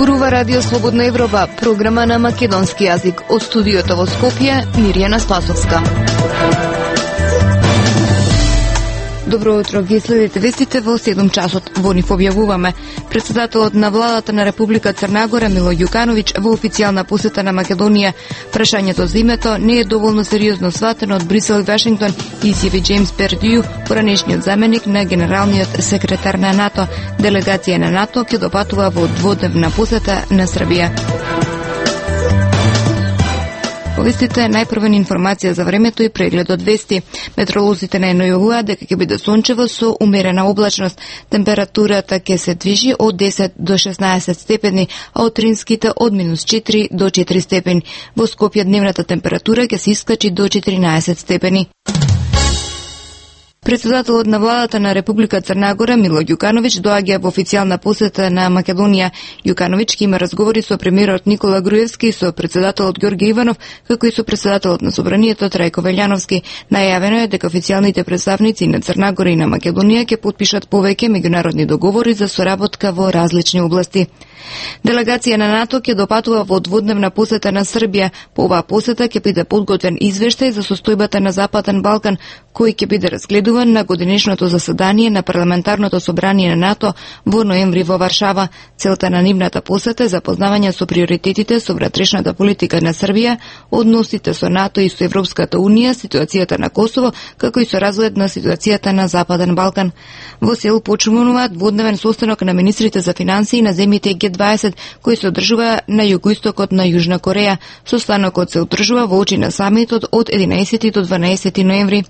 Зборува Радио Слободна Европа, програма на македонски јазик. Од студиото во Скопје, Мирјана Спасовска. Добро утро, ги следите вестите во 7 часот. Во нив објавуваме: председателот на владата на Република Црна Гора Мило Ѓукановиќ во официјална посета на Македонија. Прашањето за името не е доволно сериозно сватено од Брисел и Вашингтон, изјави Джеймс Пердју, поранешниот заменик на генералниот секретар на НАТО. Делегација на НАТО ќе допатува во дводневна посета на Србија. Повестите најпрва информација за времето и преглед од вести. Метеоролозите најавуваат дека ќе биде сончево со умерена облачност. Температурата ќе се движи од 10 до 16 степени, а утринските од -4 до 4 степени. Во Скопје дневната температура ќе се искачи до 14 степени. Председателот на владата на Република Црна Гора Мило Ѓукановиќ доаѓа во официјална посета на Македонија. Ѓукановиќ ќе има разговори со премиерот Никола Груевски, со председателот Ѓорѓе Иванов, како и со председателот на Собранието Трајко Велјановски. Најавено е дека официјалните представници на Црна Гора и на Македонија ќе потпишат повеќе меѓународни договори за соработка во различни области. Делегација на НАТО ќе допатува во дводневна посета на Србија. По оваа посета ќе биде подготвен извештај за состојбата на Западен Балкан, кој ќе биде разгледуван на годинешното заседание на Парламентарното собрание на НАТО во ноември во Варшава. Целта на нивната посета е запознавање со приоритетите со внатрешната политика на Србија, односите со НАТО и со Европската Унија, ситуацијата на Косово, како и со разглед на ситуацијата на Западен Балкан. Во Сеул почнуваат дводневен состанок на министрите за финансии на земјите Г20, кој се одржува на југоистокот на Јужна Кореја. Состанокот се одржува во очи на самитот од 11 до 12 ноември.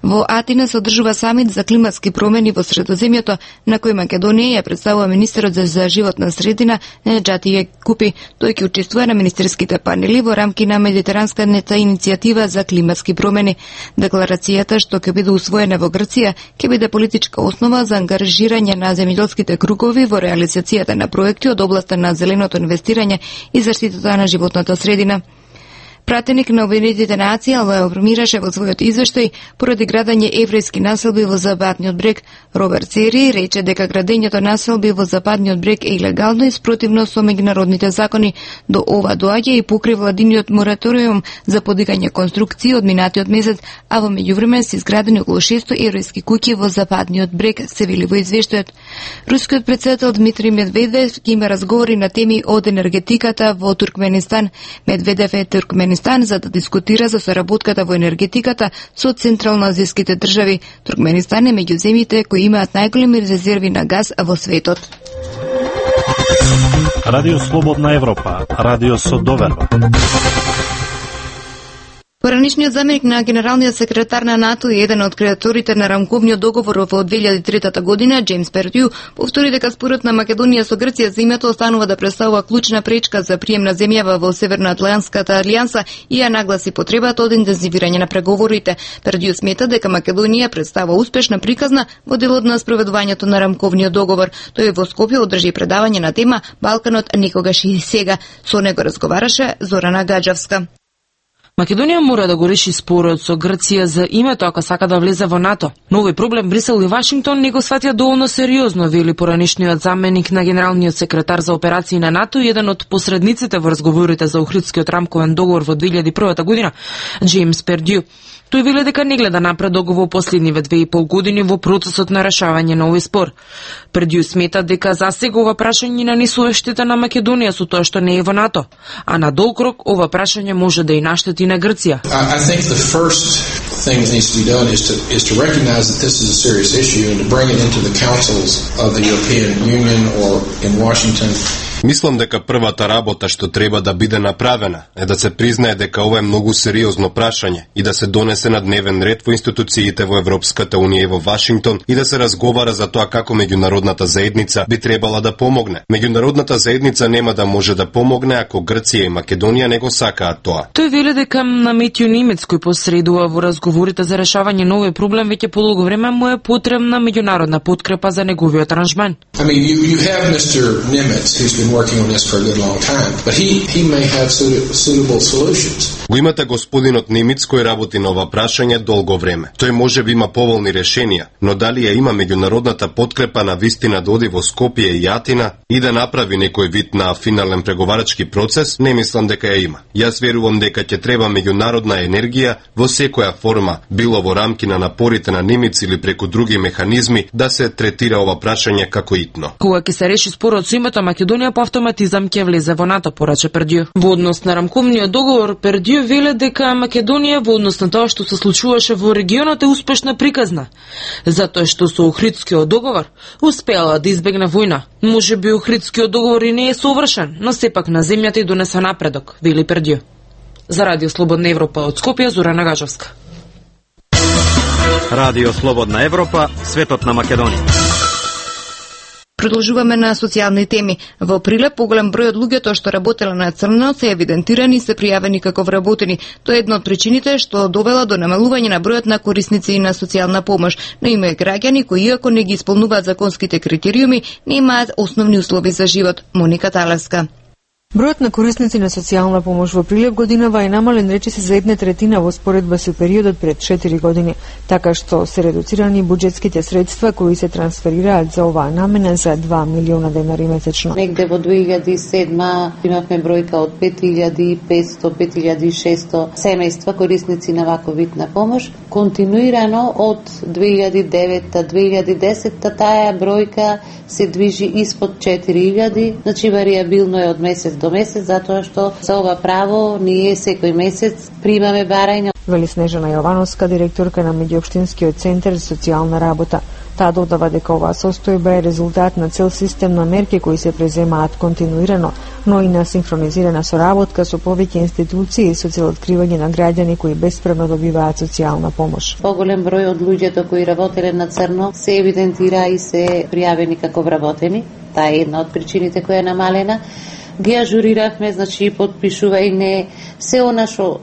Во Атина се одржува самит за климатски промени во Средоземјето, на кој Македонија ја представува министерот за животна средина Неџати Купи. Тој ќе учествува на министерските панели во рамки на Медитеранската иницијатива за климатски промени. Декларацијата, што ќе биде усвоена во Грција, ќе биде политичка основа за ангажирање на земјоделските кругови во реализацијата на проекти од областа на зеленото инвестирање и заштитата на животната средина. Пратеник на Обединетите нации алармираше во својот извештај поради градење еврејски населби во Западниот брег. Роберт Сери рече дека градењето населби во Западниот брег е илегално и спротивно со меѓународните закони. До ова доаѓа и покри владиниот мораториум за подигање конструкции од минатиот месец, а во меѓувреме се изградени околу 600 еврејски куќи во Западниот брег, се вели во извештајот. Рускиот председател Дмитрий Медведев ќе има разговори на теми од енергетиката во Туркменистан. Медведев е Туркменистан за да дискутира за соработката во енергетиката со централно-азијските држави. Туркменистан е меѓу земјите кои имаат најголеми резерви на газ во светот. Радио Слободна Европа, радио со доверба. Поранешниот заменик на генералниот секретар на НАТО и еден од креаторите на рамковниот договор во 2003 година, Джеймс Пердју, повтори дека спорот на Македонија со Грција за името останува да представува клучна пречка за прием на земјава во Северноатлантската алијанса и ја нагласи потребата од интензивирање на преговорите. Пердју смета дека Македонија представува успешна приказна во делот на спроведувањето на рамковниот договор. Тој во Скопје одржи предавање на тема Балканот никогаш и сега. Со него разговараше Зорана Гаджевска. Македонија мора да го реши спорот со Грција за името ако сака да влезе во НАТО. Но овој проблем Брисел и Вашингтон не го сватија доволно сериозно, вели поранешниот заменик на генералниот секретар за операции на НАТО и еден од посредниците во разговорите за Охридскиот рамковен договор во 2001 година, Джеймс Пердју. Тој вели дека не гледа напредок во последниве 2,5 години во процесот на решавање на овој спор. Пердју смета дека засега ова прашање нанесува штета на Македонија со тоа што не е во НАТО, а на долг рок ова прашање може да и наштети на Грција. I think the first thing that needs to be done is to recognize that this is a serious issue and to bring it into the councils of the European Union or in Washington. Мислам дека првата работа што треба да биде направена е да се признае дека ова е многу сериозно прашање и да се донесе на дневен ред во институциите во Европската Унија и во Вашингтон и да се разговара за тоа како меѓународната заедница би требала да помогне. Меѓународната заедница нема да може да помогне ако Грција и Македонија не го сакаат тоа. Тој вели дека на Метју Немец, кој посредува во разговорите за решавање на овој проблем, веќе подолго време му е потребна меѓународна подкрепа за неговиот аранжман. I mean, you have Mr. Nimitz, who's been been working on this for a good long time, but he may have suitable solutions. Го имате господинот Немец кој работи на ова прашање долго време. Тој може би има поволни решенија, но дали ја има меѓународната подкрепа на вистина да оди во Скопје и Атина и да направи некој вид на финален преговарачки процес, не мислам дека ја има. Јас верувам дека ќе треба меѓународна енергија во секоја форма, било во рамки на напорите на Немец или преку други механизми, да се третира ова прашање како итно. Кога ќе се реши спорот со името Македонија, по автоматизам ќе влезе во НАТО, порача Пердју. Во однос на рамковниот договор, Пердју веле дека Македонија во однос на тоа што се случуваше во регионот е успешна приказна, затоа што со Охридскиот договор успеала да избегне војна. Може би Охридскиот договор и не е совршен, но сепак на земјата и донесе напредок, вели Пердју. За Радио Слободна Европа од Скопје, Зорана Гажовска. Радио Слободна Европа, светот на Македонија. Продолжуваме на социјални теми. Во Прилеп поголем број од луѓето што работеле на црно се евидентирани и се пријавени како вработени. Тоа е една од причините што довела до намалување на бројот на корисници на социјална помош. Но има и граѓани кои иако не ги исполнуваат законските критериуми, не имаат основни услови за живот. Моника Талевска. Бројот на корисници на социјална помош во Прилеп годинава е намален речиси за 1/3 во споредба со периодот пред 4 години, така што се редуцирани буџетските средства кои се трансферираат за оваа намена за 2 милиона денари месечно. Негде во 2007 имавме бројка од 5500-5600 семејства корисници на ваков вид на помош. Континуирано од 2009-2010 таа бројка се движи испод 4000, значи варијабилно е од месец до месец, затоа што за ова право ние секој месец примаме барање. Вели Снежана Јовановска, директорка на Меѓуопштинскиот центар за социјална работа. Таа додава дека оваа состојба е резултат на цел систем на мерки кои се преземаат континуирано, но и на синхронизирана соработка со повеќе институции со цел откривање на граѓани кои бесправно добиваат социјална помош. Поголем број од луѓето кои работеле на црно се евидентира и се пријавени како вработени. Таа е една од причините која е намалена. Ги ажуриравме, значи потпишува и не се она што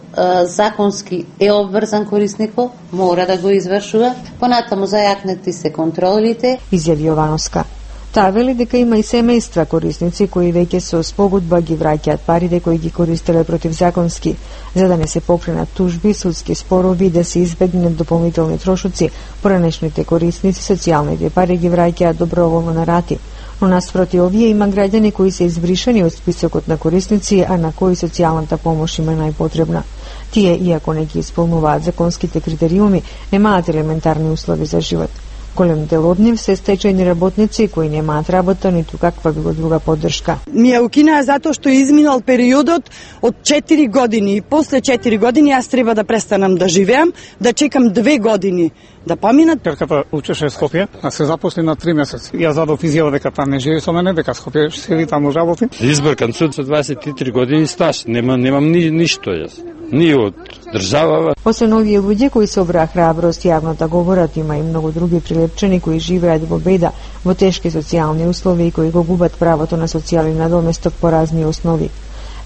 законски е обврзан корисникот, мора да го извршува. Понатаму зајакнати се контролите. Изјави Јовановска. Таа вели дека има и семејства корисници кои веќе со спогодба ги враќаат парите кои ги користеле противзаконски, за да не се покренат тужби, судски спорови и да се избегнат дополнителни трошоци. Поранешните корисници социјалните пари ги враќаат доброволно на рати. Но наспроти овие има граѓани кои се избришани од списокот на корисници, а на кои социјалната помош им е најпотребна. Тие, иако не ги исполнуваат законските критериуми, немаат елементарни услови за живот. Голем дел од нив се стечајни работници кои немаат работа ниту каква било друга поддршка. Ми ја укинаа затоа што изминал периодот од 4 години и после 4 години јас треба да престанам да живеам, да чекам 2 години да поминат. Керката учеше Скопје, а се запосли на 3 месеци. Ја задов изјава дека таа не живее со мене, дека Скопје седи таму работи. Избркан суд со 23 години стаж, немам ништо јас. Ни од држава. Освен овие луѓе кои собраа храброст јавно да говорат, има и многу други прилепчани кои живеат во беда, во тешки социјални услови и кои го губат правото на социјален надоместок по разни основи.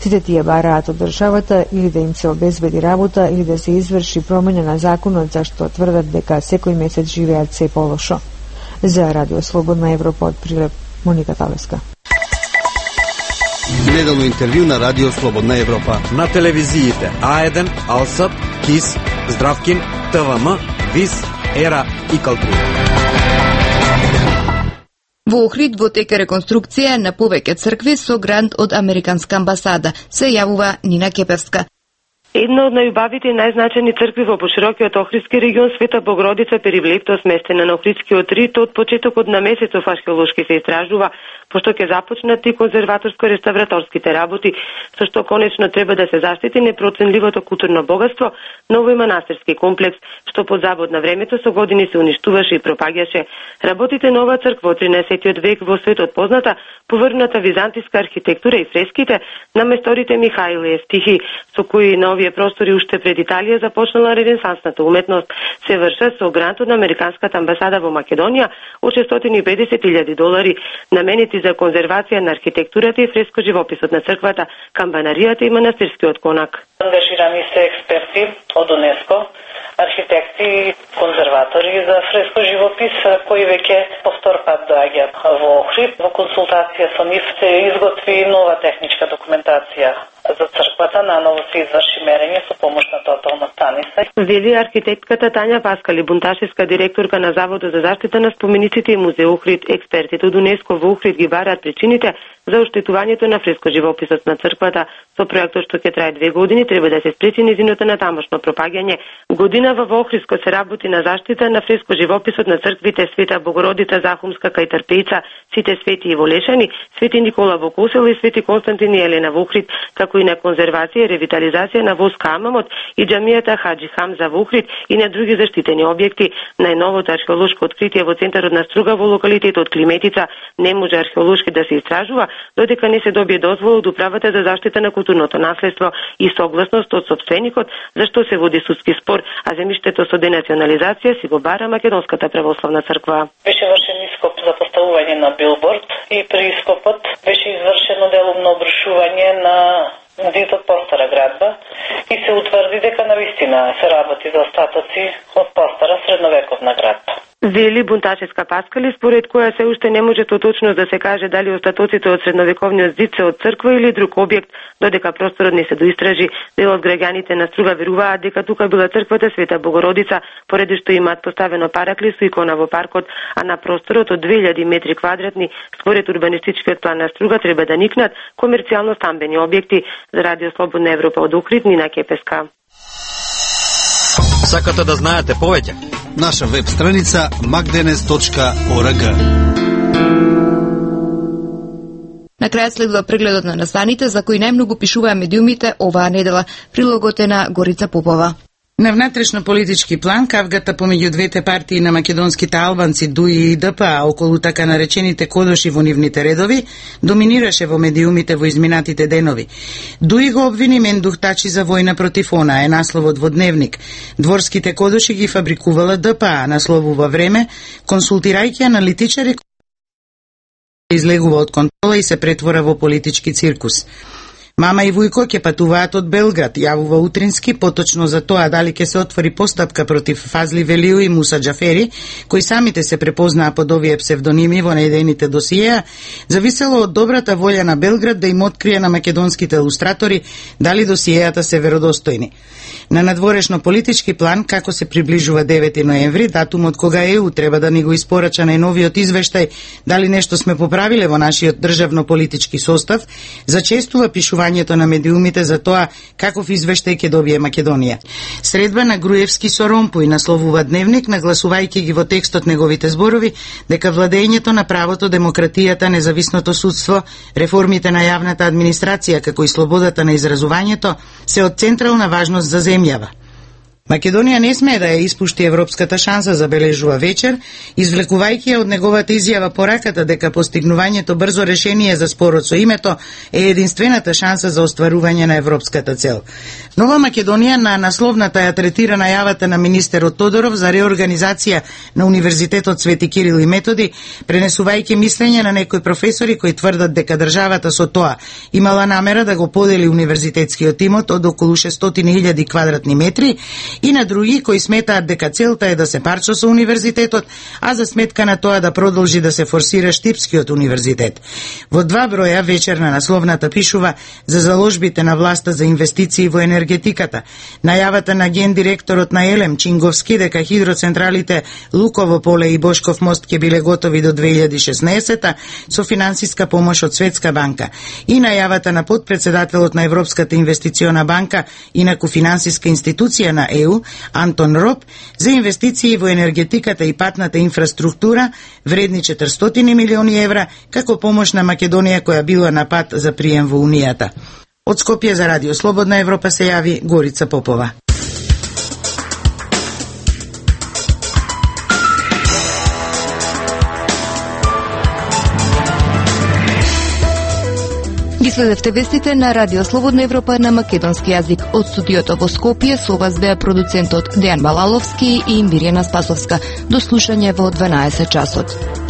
Сите тие бараат од државата или да им се обезбеди работа или да се изврши промена на законот, зашто тврдат дека секој месец живеат се полошо. За Радио Слободна Европа од Прилеп, Моника Талевска. Неделно интервју на Радио Слободна Европа. На телевизиите А1, Алсат, КИС, Здравкин, ТВМ, ВИС, ЕРА и Калтура. Во Охрид во тека реконструкција на повеќе цркви со грант од Американска амбасада, се јавува Нина Кепевска. Една од најубавите и најзначајни цркви во поширокиот Охридски регион, Света Богородица Перивлепто, сместена на Охридскиот рит, од почетокот на месецов археолошки се истражува, пошто ќе започнат и конзерваторско-реставраторските работи, со што конечно треба да се заштити непроценливото културно богатство на овој манастирски комплекс, што под забод на времето со години се уништуваше и пропаѓаше. Работите на оваа црква од 13 век во светот позната по врвната византиска архитектура и фреските на месторите Михаил и Евтихи, со кои на овие простори уште пред Италија започнала ренесансната уметност, се вршат со грант од Американската амбасада во Македонија од $650,000, наменети за конзервација на архитектурата и фреско живописот на црквата, камбанаријата и манастирскиот конак. Ангажирани се експерти од УНЕСКО архитекти, конзерватори за фреско живопис кои веќе по втор пат доаѓаат во Охрид. Во консултација со нив се изготви нова техничка документација за црквата, наново се изврши мерење со помош на тотална станица. Вели архитектката Тања Паскали, бунташевска директорка на Заводот за заштита на спомениците и музеј Охрид. Експертите од УНЕСКО во Охрид ги бараат причините за оштетувањето на фреско живописот на црквата. Со проектот што ќе трае 2 години треба да се спречи низиното натамошно пропаѓање. Годинава во Охридско се работи на заштита на фреско живописот на црквите Света Богородица Захумска кај Трпејца, Сите свети и Волешани, Свети Никола во Косело и Свети Константин и Елена во Охрид, како и на конзервација и ревитализација на Воска Амамот и џамијата Хаджи Хамза во Охрид и на други заштитени објекти. Најновото археолошко откритие во центарот на Струга во локалитетот Климетица не може археолошки да се истражува додека не се добие дозвола од Управата за заштита на културното наследство и согласност од сопственикот, зашто се води судски спор, а земјиштето со денационализација си го бара Македонската православна црква. Беше вршен ископ за поставување на билборд и при ископот беше извршено делумно обрушување на зидот постара градба и се утврди дека навистина се работи за остатоци од постара средновековна градба. Вели бунташевска Паскали, според која се уште не може точно да се каже дали остатоците од средновековниот зид се од црква или друг објект, додека просторот не се доистражи. Дел од граѓаните на Струга веруваат дека тука била црквата Света Богородица, поради што имаат поставено параклис со икона во паркот, а на просторот од 2000 метри квадратни, според урбанистичкиот план на Струга, треба да никнат комерцијално стамбени објекти. За Радио Слободна Европа од Охрид, Нина Кепеска. Сакате да знаете повеќе? Наша веб страница magdenes.org. На крајот следува прегледот на настаните за кои најмногу пишуваа медиумите оваа недела. Прилогот е на Горица Попова. На внатрешно политички план, кавгата помеѓу двете партии на македонските албанци ДУИ и ДПА околу така наречените кодоши во нивните редови доминираше во медиумите во изминатите денови. ДУИ го обвини Мендухтачи за војна против она, е насловот во Дневник. Дворските кодоши ги фабрикувала ДПА, насловува Време, консултирајќи аналитичари излегува од контрола и се претвора во политички циркус. Мама и Вујко ќе патуваат од Белград, јавува Утрински, поточно за тоа дали ќе се отвори постапка против Фазли Велиу и Муса Џафери, кои самите се препознаа под овие псевдоними во најдените досиеа, зависело од добрата волја на Белград да им открие на македонските илустратори дали досиеата се веродостојни. На надворешно политички план, како се приближува 9 ноември, датумот кога ЕУ треба да ни го испорача најновиот извештај дали нешто сме поправиле во нашиот државно-политички состав, зачестува пишувањето на медиумите за тоа каков извештај ќе добие Македонија. Средба на Груевски со Ромпој, насловува Дневник, нагласувајќи ги во текстот неговите зборови дека владењето на правото, демократијата, независното судство, реформите на јавната администрација како и слободата на изразувањето се од централна важност за земјава. Македонија не смее да ја испушти европската шанса, забележува Вечер, извлекувајќи ја од неговата изјава пораката дека постигнувањето брзо решение за спорот со името е единствената шанса за остварување на европската цел. Нова Македонија на насловната ја третира најавата на министерот Тодоров за реорганизација на Универзитетот Свети Кирил и Методи, пренесувајќи мислење на некои професори кои тврдат дека државата со тоа имала намера да го подели универзитетскиот имот од околу 600.000 квадратни метри, и на други кои сметаат дека целта е да се парча со универзитетот, а за сметка на тоа да продолжи да се форсира Штипскиот универзитет. Во 2 броја Вечер на насловната пишува за заложбите на власта за инвестиции во енергетиката, најавата на гендиректорот на Елем Чинговски дека хидроцентралите Луково поле и Бошков мост ќе биле готови до 2016 со финансиска помош од Светска банка и најавата на подпредседателот на Европската инвестициона банка, инаку финансиска институција на ЕУ, Антон Роб, за инвестиции во енергетиката и патната инфраструктура вредни 400 милиони евра како помош на Македонија која била на пат за прием во Унијата. Од Скопје за Радио Слободна Европа се јави Горица Попова. Ги следевте вестите на Радио Слободна Европа на македонски јазик. Од студиото во Скопје со вас беа продуцентот Дејан Балаловски и Мирјана Спасовска. До слушање во 12 часот.